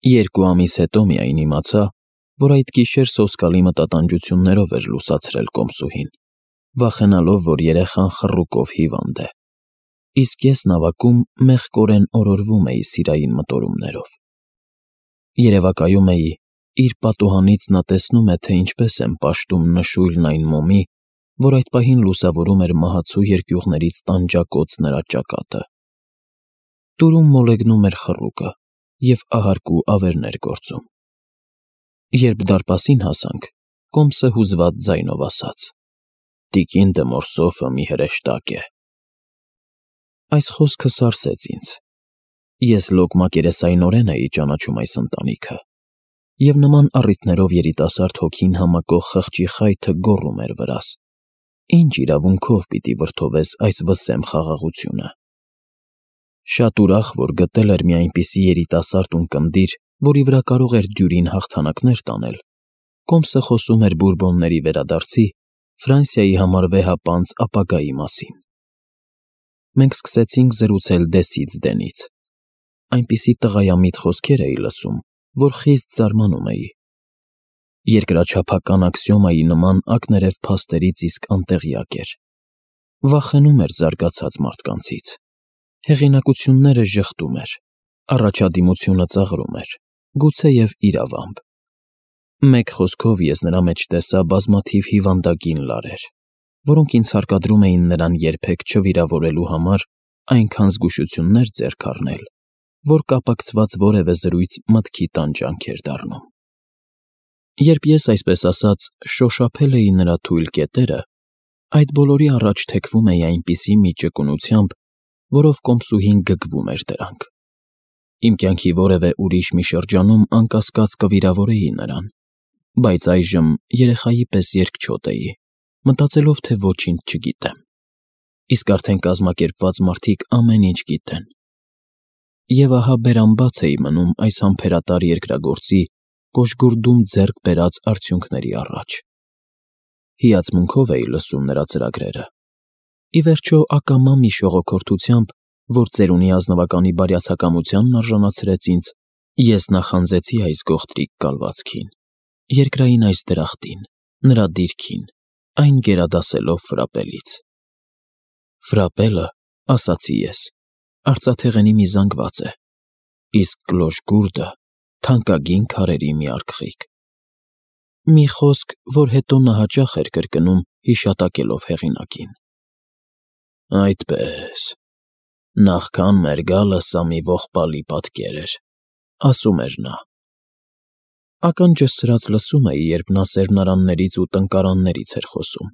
2 ամիս հետո միայն իմացա, որ այդ գիշեր սոսկալի մտատանջություններով էր լուսացրել կոմսուհին, վախենալով, որ երեխան խռուկով հիվանդ է, իսկ ես նավակում մեղկորեն օրորվում էի սիրային մտորումներով։ Երևակայում էի, իր պատուհանից նա տեսնում է, թե ինչպես եմ պաշտում նշույլն այն մոմի, որ այդ պահին լուսավորում էր մահացու երկյուղներից տանջակոծ նրա ճակատը։ Տուրում մոլեգնում էր խռուկը և ահարկու ավերներ գործում։ Երբ դարպասին հասանք, Կոմսը հուզված ձայնով ասաց. «Տիկին դե Մորսոֆը մի հրեշտակ է»։ Այս խոսքը սարսեց ինձ։ Ես լոկ մակերեսայնորեն էի ճանաչում այս ընտանիքը, և նման առիթներով երիտասարդ հոգին համակող խղճի խայթը գոռում էր վրաս. «Ինչ իրավունքով պիտի վրդովես այս վսեմ խաղաղությունը»։ Շատ ուրախ, որ գտել էր մի այնպիսի երիտասարդ ունկնդիր, որի վրա կարող էր դյուրին հաղթանակներ տանել, Կոմսը խոսում էր Բուրբոնների վերադարձի, Ֆրանսիայի համար վեհապանծ ապագայի մասին։ Մենք սկսեցինք զրուցել դեսից դենից։ Այնպիսի տղայամիտ խոսքեր էի լսում, որ խիստ զարմանում էի։ Երկրաչափական աքսիոմայի նման ակներև փաստերից իսկ անտեղյակ էր։ Վախենում էր զարգացած մարդկանցից։ Հեղինակությունները ժխտում էր, առաջադիմությունը ծաղրում էր, գուցեև իրավամբ։ Մեկ խոսքով ես նրա մեջ տեսա բազմաթիվ հիվանդագին լարեր, որոնք ինձ հարկադրում էին նրան երբեք չվիրավորելու համար այնքան զգուշություններ ձեռք առնել, որ կապակցված որևէ զրույց մտքի տանջանք էր դառնում։ Երբ ես, այսպես ասած, շոշափել էի նրա թույլ կետերը, այդ բոլորի առաջ թեքվում էի այնպիսի մի ճկունությամբ, որով Կոմսուհին գգվում էր դրանք։ Իմ կյանքի որևէ ուրիշ մի շրջանում անկասկած կվիրավորեի նրան, բայց այժմ երեխայի պես երկչոտ էի, մտածելով, թե ոչինչ չգիտեմ, իսկ արդեն կազմակերպված մարդիկ ամեն ինչ գիտեն։ Եվ ահա բերանբաց էի մնում այս համբերատար երկրագործի կոժգուրդում ձեռք բերած արդյունքների առաջ։ Հիացմունքով էի լսում նրա ծրագրերը։ Ի վերջո, ակամա մի շողոքորթությամբ, որ ծերունի ազնվականի բարյացակամությանն արժանացրեց ինձ, ես նախանձեցի այս գողտրիկ կալվածքին, երկրային այս դրախտին, նրա դիրքին, այն գերադասելով Ֆրապելից։ Ֆրապելը, ասացի ես, արծաթեղենի մի զանգված է, իսկ կլոշգուրդը թանկագին քարերի մի արգխիկ։ Մի խոսք, որ հետո նա հաճախ էր կրկնում, հիշատակելով հեղինակին։ Այդպես, նախքան մեր գալը սա մի ողբալի պատկեր էր, ասում էր նա։ Ականջս սրած լսում էի, երբ նա սերմնարաններից ու տնկարաններից էր խոսում։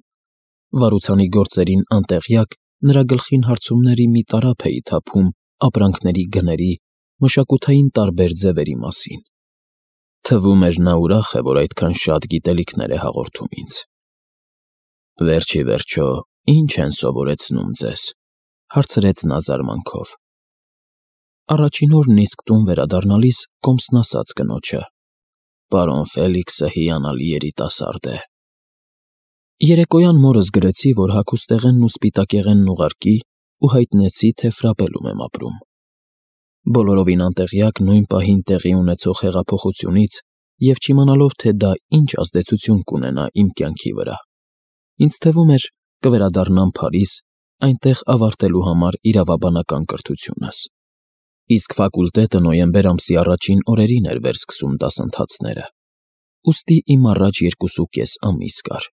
Վարուցանի գործերին անտեղյակ նրա գլխին հարցումների մի տարափ էի թափում ապրանքների գների, մշակութային տարբեր ձևերի մասին։ Թվում էր նա ուրախ է, որ այդքան շատ գիտելիքներ է հաղորդում ինձ։ Վերջ ի վերջո, ի՞նչ են սովորեցնում ձեզ, հարցրեց նա զարմանքով։ Առաջին օրն իսկ տուն վերադառնալիս Կոմսն ասաց կնոջը. Պարոն Ֆելիքսը հիանալի երիտասարդ է։ Երեկոյան մորս գրեցի, որ հագուստեղենն ու սպիտակեղենն ուղարկի ու հայտնեցի, թե Ֆրապելում եմ ապրում։ Բոլորովին անտեղյակ նույն պահին տեղի ունեցող հեղափոխությունից և չիմանալով, թե դա ինչ ազդեցություն կունենա իմ կյանքի վրա, ինձ թվում էր կվերադառնամ Փարիզ, այնտեղ ավարտելու համար իրավաբանական կրթությունս։ Իսկ ֆակուլտետը նոյեմբեր ամսի առաջին օրերին էր վերսկսում դասընթացները, ուստի իմ առաջ 2.5 ամիս կար։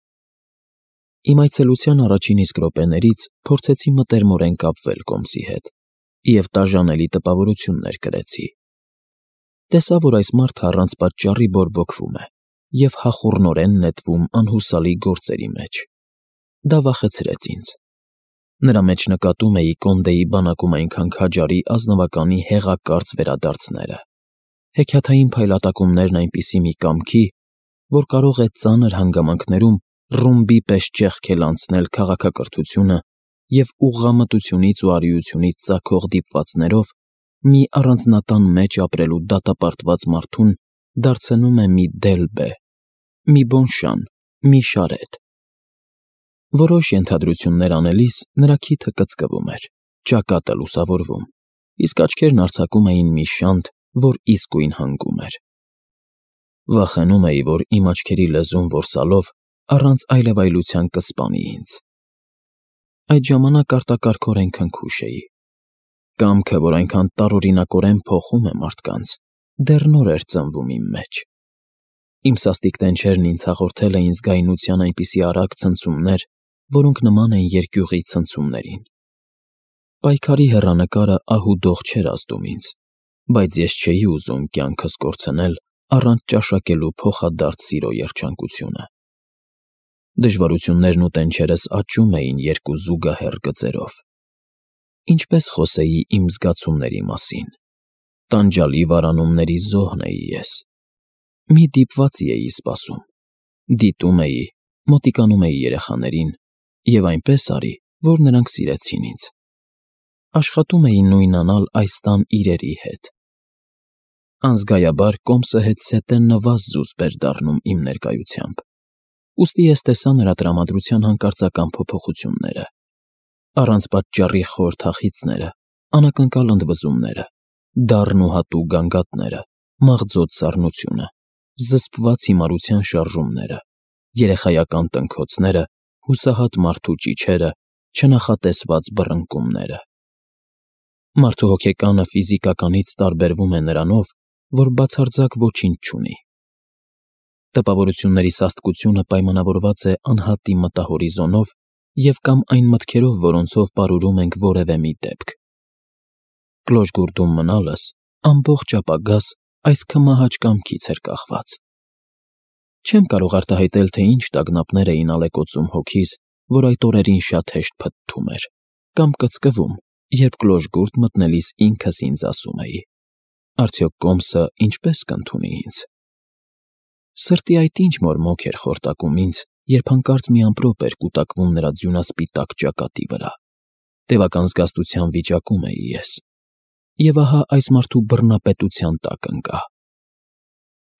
Իմ այցելության առաջին իսկ րոպեներից փորձեցի մտերմորեն կապվել Կոմսի հետ և տաժանելի տպավորություններ կրեցի։ Տեսա, որ այս մարդը առանց պատճառի բորբոքվում է և հախուռնորեն նետվում անհուսալի գործերի մեջ։ Դա վախեցրեց ինձ։ Նրա մեջ նկատում էի Կոնդեի բանակում այնքան քաջարի ազնվականի հեղակարծ վերադարձները, հեքիաթային փայլատակումներն այնպիսի մի կամքի, որ կարող է ծանր հանգամանքներում ռումբի պես ճեղքել անցնել քաղաքակրթությունը և ուղղամտությունից ու արիությունից ծագող դիպվածներով մի առանձնատան մեջ ապրելու դատապարտված մարդուն դարձնում է մի Դելբե, մի Բոնշան, մի Շարետ։ Որոշ ենթադրություններ անելիս նրա քիթը կծկվում էր, ճակատը լուսավորվում, իսկ աչքերն արձակում էին մի շանթ, որ իսկույն հանգում էր։ Վախենում էի, որ իմ աչքերի լեզուն որսալով առանց այլևայլության կսպանի ինձ։ Այդ ժամանակ արտակարգորեն քնքուշ էի։ Կամքը, որ այնքան տարօրինակորեն փոխում է մարդկանց, դեռ նոր էր ծնվում իմ մեջ։ Իմ սաստիկ տենչերն ինձ հաղորդել էին զգայունության այնպիսի արագ ցնցումներ, որոնք նման են երկյուղի ցնցումներին։ Պայքարի հեռանկարը ահուդող չէր ազդում ինձ, բայց ես չէի ուզում կյանքս կորցնել առանց ճաշակելու փոխադարձ սիրո երջանկությունը։ Դժվարություններն ու տենչերս աճում էին երկու զուգահեռ գծերով։ Ինչպես խոսեի իմ զգացումների մասին։ Տանջալի վարանումների զոհն էի ես։ Մի դիպվածի էի սպասում։ Դիտում էի, մոտիկանում էի երեխաներին, և այնպես արի, որ նրանք սիրեցին ինձ։ Աշխատում էի նույնանալ այս տան իրերի հետ։ Անզգայաբար կոմսը հետզհետե նվազ զուսպ էր դառնում իմ ներկայությամբ։ Ուստի ես տեսա նրա տրամադրության հանկարծական փոփոխությունները։ Առանց պատճառի խոր թախիծները, անակնկալ ընդվզումները, դառն ու հատուկ գանգատները, մաղձոտ սառնությունը, զսպված հիմարության շարժումները, երեխայական տնքոցները, հուսահատ մարդու ճիչերը, չնախատեսված բռնկումները։ Մարդու հոգեկանը ֆիզիկականից տարբերվում է նրանով, որ բացարձակ ոչինչ չունի։ Տպավորությունների սաստկությունը պայմանավորված է անհատի մտահորիզոնով և կամ այն մտքերով, որոնցով պարուրում ենք որևէ մի դեպք։ Կլոժգուրդում մնալս ամբողջ ապագաս այս քմահաճ կամքից էր կախված։ Չեմ կարող արտահայտել, թե ինչ տագնապներ էին ալեկոծում հոգիս, որ այդ օրերին շատ հեշտ փթթում էր, կամ կծկվում, երբ կլոժգուրդ մտնելիս ինքս ինձ ասում էի. արդյոք կոմսը ինչպես կընդունի ինձ։ Սրտի այդ ինչ մորմոք էր խորտակում ինձ, երբ հանկարծ մի ամպրոպ էր կուտակվում նրա ձյունասպիտակ ճակատի վրա։ Տևական զգաստության վիճակում էի ես։ Եվ ահա այս մարդու բռնապետության տակ ընկա։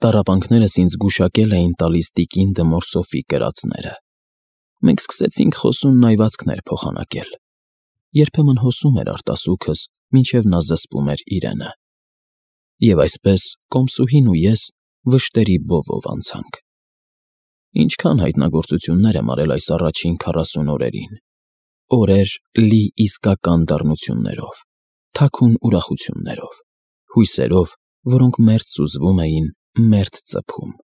Տառապանքներս ինձ գուշակել էին տալիս տիկին դմոր Սոֆի կրածները։ Մենք սկսեցինք խոսուն նայվածքներ փոխանակել։ Երբեմն հոսում էր արտասուքս, մինչև նա զսպում էր իրենը։ Եվ այսպես կոմսուհին ու ես վշտերի բովով անցանք։ Ինչքան հայտնագործություններ եմ արել այս առաջին 40 օրերին։ Օրեր լի իսկական դառնություններով, թաքուն ուրախություններով, հույսերով, որոնք մերթ սուզվում էին, մերթ ծփում։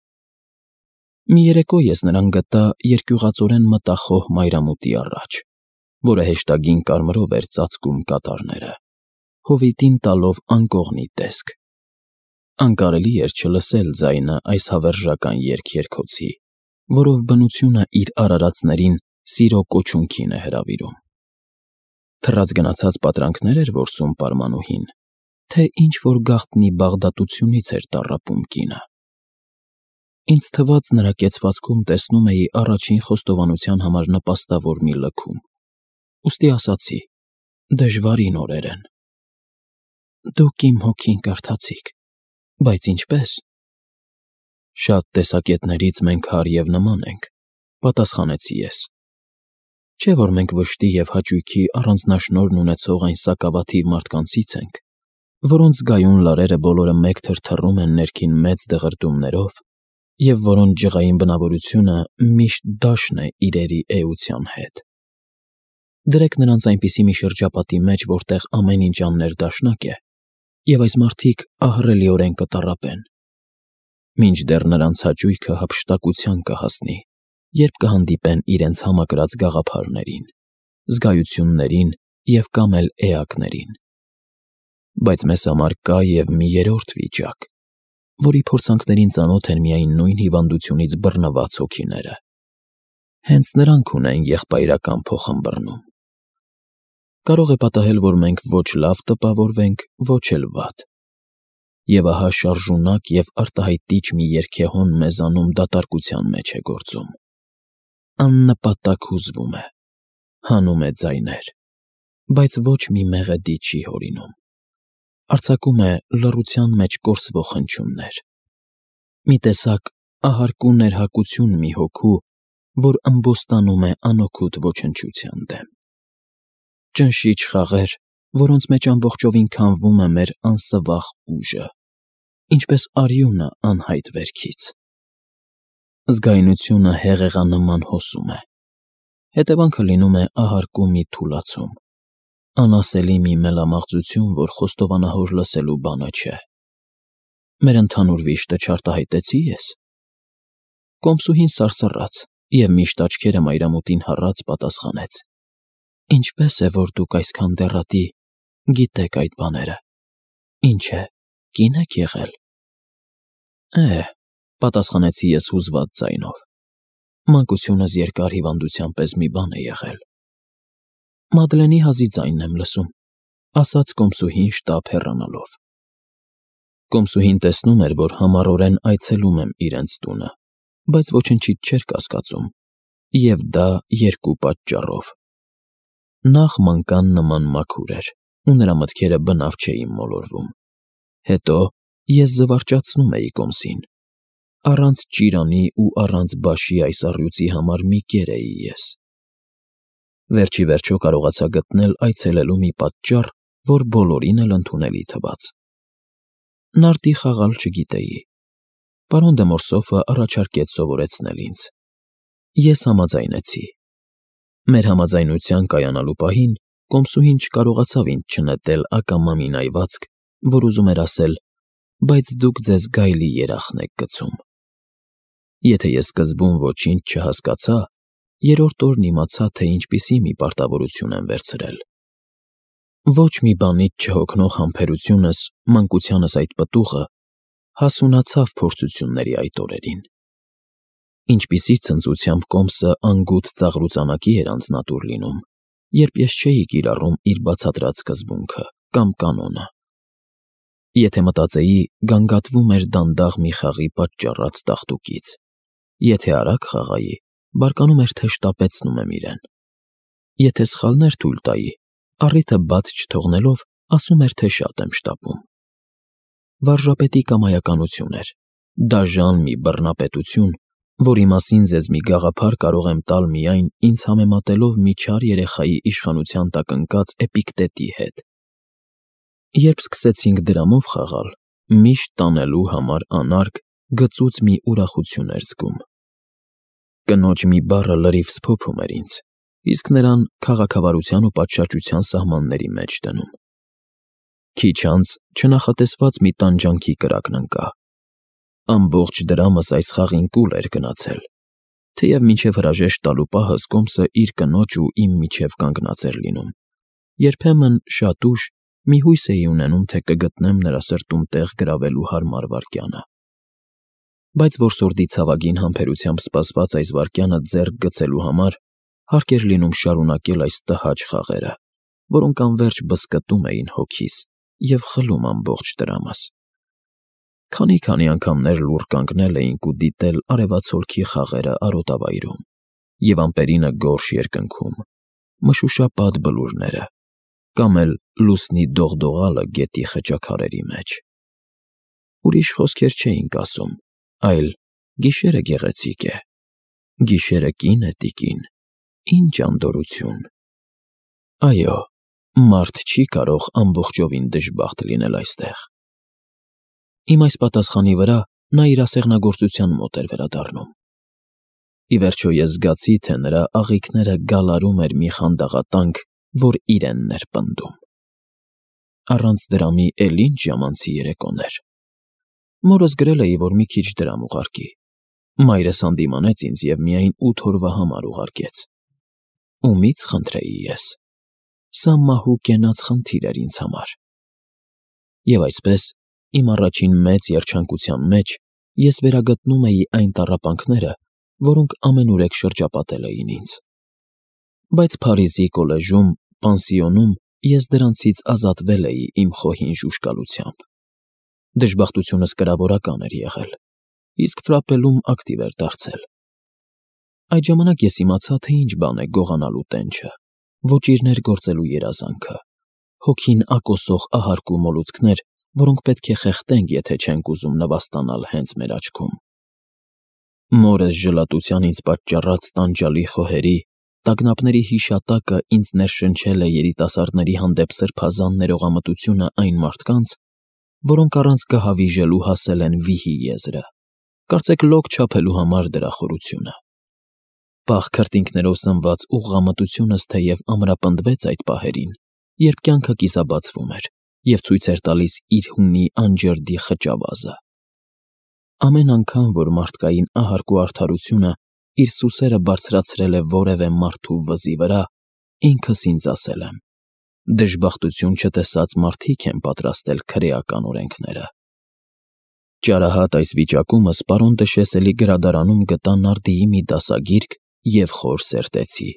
Մի երեկո ես նրան գտա երկյուղածորեն մտախոհ մայրամուտի առաջ, որը հեշտագին կարմրով էր ծածկում կատարները, հովիտին տալով անկողնի տեսք։ Անկարելի էր չլսել ձայնը այս հավերժական երգերգոցի, որով բնությունը իր արարածներին սիրո կոչունքին է հրավիրում։ Թռած գնացած պատրանքներ էր որսում պարմանուհին, թե ինչ-որ գաղտնի բաղդատությունից էր տառապում կինը։ Ինձ թվաց նրա կեցվածքում տեսնում էի առաջին խոստովանության համար նպաստավոր մի լքում։ Ուստի ասացի. դժվարին օրեր են։ Դուք իմ հոգին կարդացիք, բայց ինչպես։ Շատ տեսակետներից մենք հարկ և նման ենք, պատասխանեցի ես։ Չէ՞ որ մենք վշտի և հաճույքի առանձնաշնորհն ունեցող այն սակավաթիվ մարդկանցից ենք, որոնց զգայուն լարերը բոլորը մեկ թրթռում են ներքին մեծ դղրդյուններով, և որոնց ջղային բնավորությունը միշտ դաշն է իրերի էության հետ։ Դրեք նրանց այնպիսի մի շրջապատի մեջ, որտեղ ամեն ինչ աններդաշնակ է, և այս մարդիկ ահռելիորեն կտառապեն, մինչդեռ նրանց հաճույքը հափշտակության կհասնի, երբ կհանդիպեն իրենց համակրած գաղափարներին, զգայություններին և կամ էլ էակներին։ Բայց մեզ համար կա և մի երրորդ վիճակ, որի փորձանքներին ծանոթ են միայն նույն հիվանդությունից բռնված հոգիները։ Հենց նրանք ունեն եղբայրական փոխըմբռնում։ Կարող է պատահել, որ մենք ոչ լավ տպավորվենք, ոչ էլ վատ։ Եվ ահա շարժունակ և արտահայտիչ մի երգեհոն մեզանում դատարկության մեջ է գործում։ Աննպատակ հուզվում է, հանում է ձայներ, բայց ոչ մի մեղեդի չի հորինում։ Արձակում է լռության մեջ կորսվող հնչյուններ։ Մի տեսակ ահարկու ներհակություն մի հոգու, որ ըմբոստանում է անօգուտ ոչնչության դեմ։ Ճնշիչ խաղեր, որոնց մեջ ամբողջովին քամվում է մեր անսվաղ ուժը։ ինչպես արյունը անհայտ վերքից։ Զգայունությունը հեղեղանման հոսում է, հետևանքը լինում է ահարկու մի թուլացում, անասելի մի մելամաղձություն, որ խոստովանահոր լսելու բանը չէ։ Մեր ընդհանուր վիշտը չարտահայտեցի ես։ Կոմսուհին սարսռաց և միշտ աչքերը մայրամուտին հառած պատասխանեց. Ինչպես է, որ դուք այսքան դեռատի գիտեք այդ բաները։ Ինչ է, կին եք եղել։ Պատասխանեցի ես հուզված ձայնով։ Մանկությունս երկար հիվանդության պես մի բան է եղել։ Մադլենի հազի ձայնն եմ լսում, ասաց կոմսուհին շտապ հեռանալով։ Կոմսուհին տեսնում էր, որ համառորեն այցելում եմ իրենց տունը, բայց ոչնչից չէր կասկածում, և դա երկու պատճառով։ Նախ մանկան նման մաքուր էր, ու նրա մտքերը բնավ չէին մոլորվում։ Հետո ես զվարճացնում էի կոմսին։ Առանց ճիրանի ու առանց բաշի այս առյուծի համար մի կեր էի ես։ Վերջ ի վերջո կարողացա գտնել այցելելու մի պատճառ, որ բոլորին էլ ընդունելի թվաց։ Նարդի խաղալ չգիտեի։ Պարոն դե Մորսոֆը առաջարկեց սովորեցնել ինձ։ Ես համաձայնեցի։ Մեր համաձայնության կայանալու պահին կոմսուհին չկարողացավ ինձ չնետել ակամա մի նայվածք, որ ուզում էր ասել. բայց դուք ձեզ գայլի երախն եք գցում։ Եթե ես սկզբում ոչինչ չհասկացա, երրորդ օրն իմացա, թե ինչպիսի մի պարտավորություն եմ վերցրել։ Ոչ մի բանից չհոգնող համբերությունս, մանկությանս այդ պտուղը, հասունացավ փորձությունների այդ օրերին։ Ինչպիսի ցնծությամբ կոմսը անգութ ծաղրուծանակի էր անձնատուր լինում, երբ ես չէի կիրառում իր բացատրած սկզբունքը կամ կանոնը։ Եթե մտածեի, գանգատվում էր դանդաղ մի խաղի պատճառած տաղտուկից։ Եթե արագ խաղայի, բարկանում էր, թե շտապեցնում եմ իրեն։ Եթե սխալներ թույլ տայի, առիթը բաց չթողնելով, ասում էր, թե շատ եմ շտապում։ Վարժապետի կամայականություն էր, դաժան մի բռնապետություն, որի մասին ձեզ մի գաղափար կարող եմ տալ միայն ինձ համեմատելով մի չար երեխայի իշխանության տակ ընկած Էպիկտետի հետ։ Երբ սկսեցինք դրամով խաղալ, միշտ տանելու համար անարգ, գծուծ մի ուրախություն էր զգում։ Կնոջ մի բառը լրիվ սփոփում էր ինձ, իսկ նրան քաղաքավարության ու պատշաճության սահմանների մեջ դնում։ Քիչ անց չնախատեսված մի տանջանքի կրակն ընկա։ Ամբողջ դրամս այս խաղին կուլ էր գնացել, թեև մինչև հրաժեշտ տալու պահս կոմսը իր կնոջ ու իմ միջև կանգնած էր լինում։ Երբեմն շատ ուշ մի հույս էի ունենում, թե կգտնեմ նրա սրտում տեղ գրավելու հարմար վայրկյանը։ Բայց որսորդի ցավագին համբերությամբ սպասված այս վայրկյանը ձեռք գցելու համար հարկ էր լինում շարունակել այս տհաճ խաղերը, որոնք անվերջ բզկտում էին հոգիս և խլում ամբողջ տրամս։ Քանի անգամներ լուռ կանգնել էինք ու դիտել արևացոլքի խաղերը արոտավայրում, և ամպերինը գորշ երկնքում, մշուշապատ բլուրները, կամ էլ լուսնի դողդողալը գետի խճաքարերի մեջ։ Ուրիշ խոսքեր չէինք ասում, այլ գիշերը գեղեցիկ է, գիշերը կին է տիկին, ինչ անդորրություն։ Այո, մարդ չի կարող ամբողջովին դժբախտ լինել այստեղ։ Իմ այս պատասխանի վրա նա իր ասեղնագործության մոտ էր վերադառնում։ Ի վերջո ես զգացի, թե նրա աղիքները գալարում էր մի խանդաղատանք, որ իրենն էր պնդում։ Առանց դրամի էլ ինչ ժամանցի երեկոներ։ Մորս գրել էի, որ մի քիչ դրամ ուղարկի։ Մայրս հանդիմանեց ինձ և միայն 8 օրվա համար ուղարկեց։ Ումից խնդրեի ես։ Սա մահու կենաց խնդիր էր ինձ համար։ Եվ այսպես, իմ առաջին մեծ երջանկության մեջ ես վերագտնում էի այն տառապանքները, որոնք ամենուրեք շրջապատել էին ինձ։ Բայց Փարիզի կոլեժում, պանսիոնում ես դրանցից ազատվել էի իմ խոհին ժուժկալությամբ։ Դժբախտությունս կրավորական էր եղել, իսկ ֆրապելում ակտիվ էր դարձել։ Այդ ժամանակ ես իմացա, թե ինչ բան է գողանալու տենչը, ոճիրներ գործելու երազանքը, հոգին ակոսող ահարկու մոլուցքներ, որոնք պետք է խեղդենք, եթե չենք ուզում նվաստանալ հենց մեր աչքում։ Մորս ժլատության ինձ պատճառած տանջալի խոհերի, տագնապների հիշատակը ինձ ներշնչել է երիտասարդների հանդեպ սրբազան ներողամտությունը այն մարդկանց, որոնք առանց կհավիժելու հասել են վիհի եզրը, կարծեք լոկ չափելու համար դրա խորությունը։ Պաղ քրտինքներով սնված ուղղամտությունս թեև ամրապնդվեց այդ պահերին, երբ կյանքը կիսաբացվում էր և ցույց էր տալիս իր հունի անջրդի խճավազը։ Ամեն անգամ, որ մարդկային ահարկու արդարությունը իր սուսերը բարձրացրել է որևէ մարդու վզի վրա, ինքս ինձ ասել եմ. դժբախտություն չտեսած մարդիկ են պատրաստել քրեական օրենքները։ Ճարահատ այս վիճակումս պարոն Տշեսելի գրադարանում գտա նարդիի մի դասագիրք և խոր սերտեցի,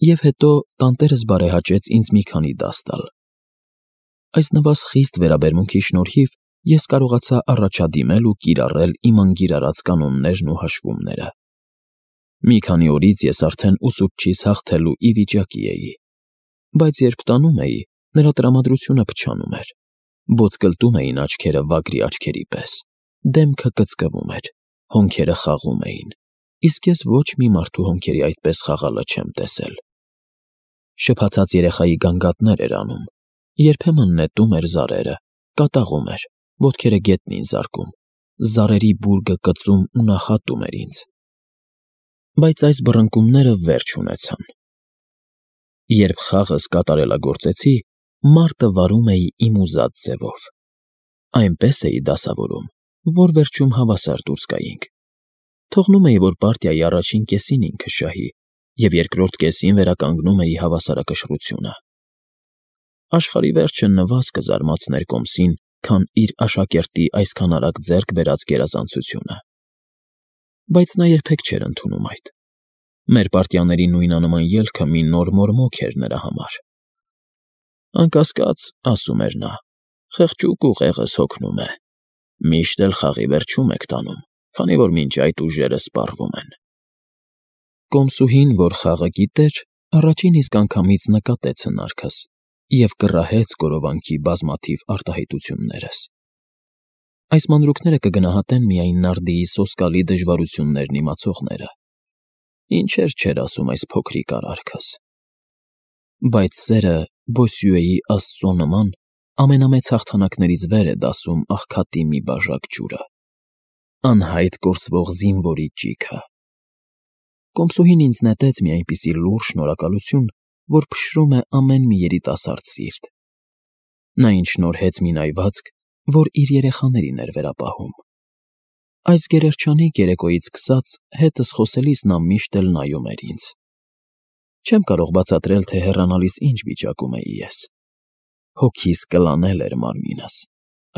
և հետո տանտերս բարեհաճեց ինձ մի քանի դաս տալ։ Այս նվազ խիստ վերաբերմունքի շնորհիվ ես կարողացա առաջադիմել ու կիրառել իմ անգիրառած կանոններն ու հաշվումները։ Մի քանի օրից ես արդեն ուսուցչիս հաղթելու ի վիճակի էի, բայց երբ տանում էի, նրա տրամադրությունը փչանում էր, ոտկլտում էին աչքերը վագրի աչքերի պես, դեմքը կծկվում էր, հոնքերը խաղում էին, իսկ ես ոչ մի մարդու հոնքերի այդպես խաղալը չեմ տեսել։ Շփաթած երեխայի գանգատներ էր անում, երբեմն նետում էր զարերը, կատաղում էր, ոտքերը գետնին զարկում, զարերի բուրգը կծում ու նախատում էր ինձ։ Բայց այս բռնկումները վերջ ունեցան։ Երբ խաղս կատարելագործեցի, մարտը վարում էի իմ ուզած ձևով։ Այնպես էի դասավորում, որ վերջում հավասար դուրս գայինք։ Թողնում էի, որ պարտիայի առաջին կեսին ինքը շահի, և երկրորդ կեսին վերականգնում էի հավասարակշռությունը։ Աշխարհի վերջը նվազ կզարմացներ Կոմսին, քան իր աշակերտի այսքան արագ ձեռք բերած գերազանցությունը։ Բայց նա երբեք չէր ընդունում այդ։ Մեր պարտիաների նույնանման ելքը մի նոր մորմոք էր նրա համար։ Անկասկած, ասում էր նա, խղճուկ ուղեղս հոգնում է, միշտ էլ խաղի վերջում եք տանում, քանի որ մինչ այդ ուժերը սպառվում են։ Կոմսուհին, որ խաղը գիտեր, առաջին իսկ անգամից նկատեց հնարքս և կռահեց գորովանքի բազմաթիվ արտահայտություններս։ Այս մանրուքները կգնահատեն միայն նարդիի սոսկալի դժվարություններն իմացողները։ Ինչեր չէր ասում այս փոքրիկ արարքս։ Բայց սերը Բոսյուեի աստծո նման ամենամեծ հաղթանակներից վեր է դասում աղքատի մի բաժակ ջուրը, անհայտ կորսվող զինվորի ճիգը։ Կոմսուհին ինձ նետեց մի այնպիսի լուռ շնորհակալություն, որ փշրում է ամեն մի երիտասարդ սիրտ։ Նա ինձ շնորհեց մի նայվածք, որ իր երեխաներին էր վերապահում։ Այս գերերջանիկ երեկոյից սկսած հետս խոսելիս նա միշտ էլ նայում էր ինձ։ Չեմ կարող բացատրել, թե հեռանալիս ինչ վիճակում էի ես։ Հոգիս կլանել էր մարմինս,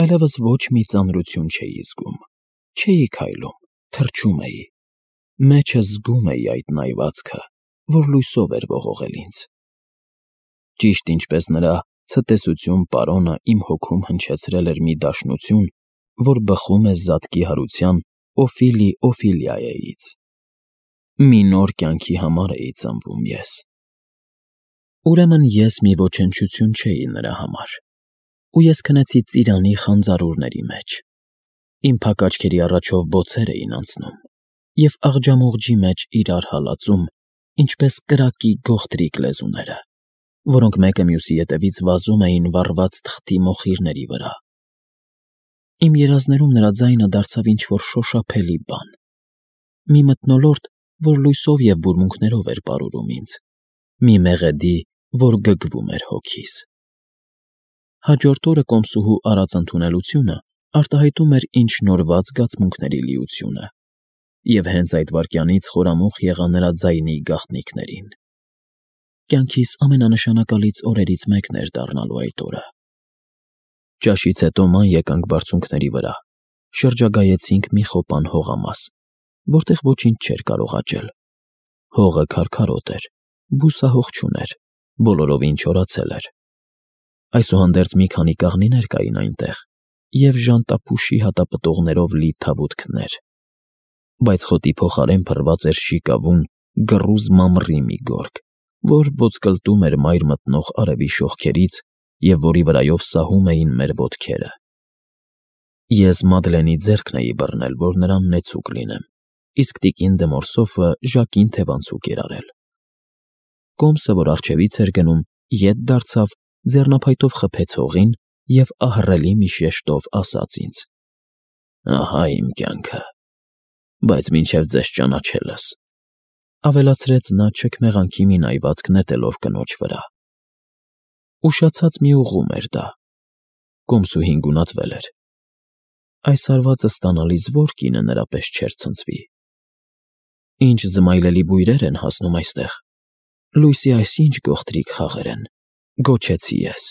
այլևս ոչ մի ծանրություն չէի զգում, չէի քայլում, թռչում էի, մեջս զգում էի այդ նայվածքը, որ լույսով էր ողողել ինձ։ Ճիշտ ինչպես նրա ցտեսություն պարոնը իմ հոգում հնչեցրել էր մի դաշնություն, որ բխում է զատկի հարության Օֆիլի Օֆիլիայից։ Մի նոր կյանքի համար էի ծնվում ես։ Ուրեմն ես մի ոչնչություն չէի նրա համար, ու ես քնեցի ծիրանի խանձարուրների մեջ։ Իմ փակ աչքերի առաջով բոցեր էին անցնում, և աղջամուղջի մեջ իրար հալածում, ինչպես կրակի գողտրիկ լեզուները, որոնք մեկը մյուսի ետևից վազում էին վառված թղթի մոխիրների վրա։ Իմ երազներում նրա ձայնը դարձավ ինչ-որ շոշափելի բան, մի մթնոլորտ, որ լույսով և բուրմունքներով էր պարուրում ինձ, մի մեղեդի, որ գգվում էր հոգիս։ Հաջորդ օրը կոմսուհու արած ընդունելությունը արտահայտում էր ինձ շնորհված զգացմունքների լիությունը, և հենց այդ վայրկյանից խորամուխ եղա նրա ձայնի գաղտնիքներին։ Կյանքիս ամենանշանակալից օրերից մեկն էր դառնալու այդ օրը։ Ճաշից հետո ման եկանք բարձունքների վրա, շրջագայեցինք մի խոպան հողամաս, որտեղ ոչինչ չէր կարող աճել։ Հողը քարքարոտ էր, բուսահող չուներ, բոլորովին չորացել էր։ Այսուհանդերձ մի քանի կաղնիներ կային այնտեղ և ժանտափուշի հատապտուղներով լի թավուտքներ, բայց խոտի փոխարեն փռված էր շիկավուն, գռուզ մամռի մի գորգ, որ ոտկլտում էր մայր մտնող արևի շողքերից և որի վրայով սահում էին մեր ոտքերը։ Ես Մադլենի ձեռքն էի բռնել, որ նրան նեցուկ լինեմ, իսկ տիկին դե Մորսոֆը Ժակին թևանցուկ էր արել։ Կոմսը, որ առջևից էր գնում, ետ դարձավ, ձեռնափայտով խփեց հողին և ահռելի մի շեշտով ասաց ինձ. «Ահա իմ կյանքը, բայց մինչև ձեզ ճանաչելս», ավելացրեց նա չքմեղանքի մի նայվածք նետելով կնոջ վրա։ Ուշացած մի ուղում էր դա։ Կոմսուհին գունատվել էր։ Այս հարվածը ստանալիս ո՞ր կինը նրա պես չէր ցնցվի։ Ինչ զմայլելի բույրեր են հասնում այստեղ, լույսի այսինչ գողտրիկ խաղեր են, գոչեցի ես։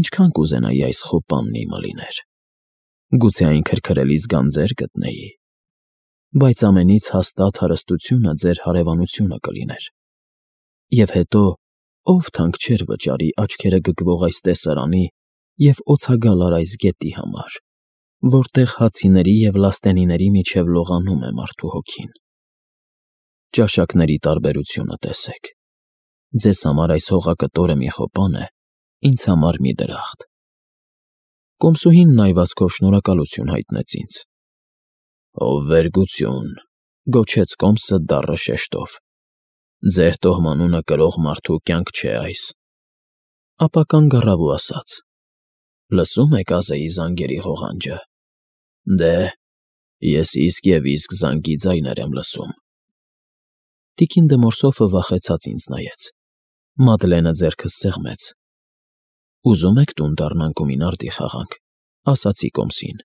Ինչքան կուզենայի այս խոպանն իմը լիներ։ Գուցե այն քրքրելիս գանձեր գտնեի, բայց ամենից հաստատ հարստությունը ձեր հարևանությունը կլիներ։ Եվ հետո ով թանկ չէր վճարի աչքերը գգվող այս տեսարանի և օցագալար այս գետի համար, որտեղ հացիների և լաստենիների միջև լողանում է մարդու հոգին։ Ճաշակների տարբերությունը տեսեք։ Ձեզ համար այս հողակտորը մի խոպան է, ինձ համար մի դրախտ։ Կոմսուհին նայվածքով շնորհակալություն հայտնեց ինձ։ Վերգություն, գոչեց Կոմսը դառը շեշտով։ Ձեր տոհմանունը կրող մարդու կյանք չէ այս։ Ապա կանգ առավ ու ասաց. Լսում եք Ազեի զանգերի ղողանջը։ Դե, ես իսկ և իսկ զանգի ձայներ եմ լսում։ Տիկին դը Մորսոֆը վախեցած ինձ նայեց։ Մադլենը ձեռքս սեղմեց։ Ուզում եք տուն դառնանք ու մինարդի խաղանք, ասացի Կոմսին։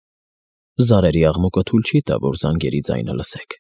Զարերի աղմուկը թույլ չի տա, որ զանգերի ձայնը լսեք։